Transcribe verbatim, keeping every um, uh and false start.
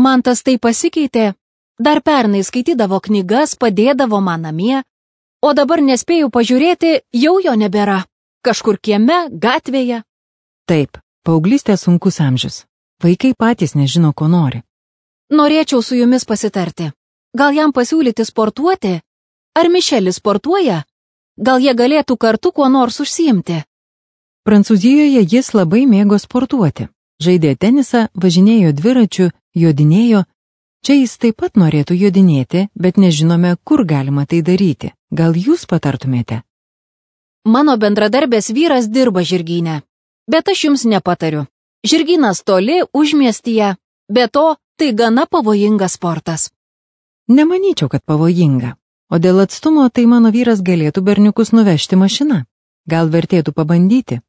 Mantas tai pasikeitė. Dar pernai skaitydavo knygas, padėdavo man namie, o dabar nespėjau pažiūrėti, jau jo nebėra. Kažkur kieme, gatvėje. Taip, paauglystė sunkus amžius. Vaikai patys nežino, ko nori. Norėčiau su jumis pasitarti. Gal jam pasiūlyti sportuoti? Ar Mišelis sportuoja? Gal jie galėtų kartu kuo nors užsiimti? Prancūzijoje jis labai mėgo sportuoti. Žaidė tenisą, važinėjo dviračiu, jodinėjo. Čia jis taip pat norėtų jodinėti, bet nežinome, kur galima tai daryti. Gal jūs patartumėte? Mano bendradarbės vyras dirba žirgyne, bet aš jums nepatariu. Žirgynas toli, užmiestyje, be to tai gana pavojingas sportas. Nemanyčiau, kad pavojinga. O dėl atstumo tai mano vyras galėtų berniukus nuvežti mašina. Gal vertėtų pabandyti?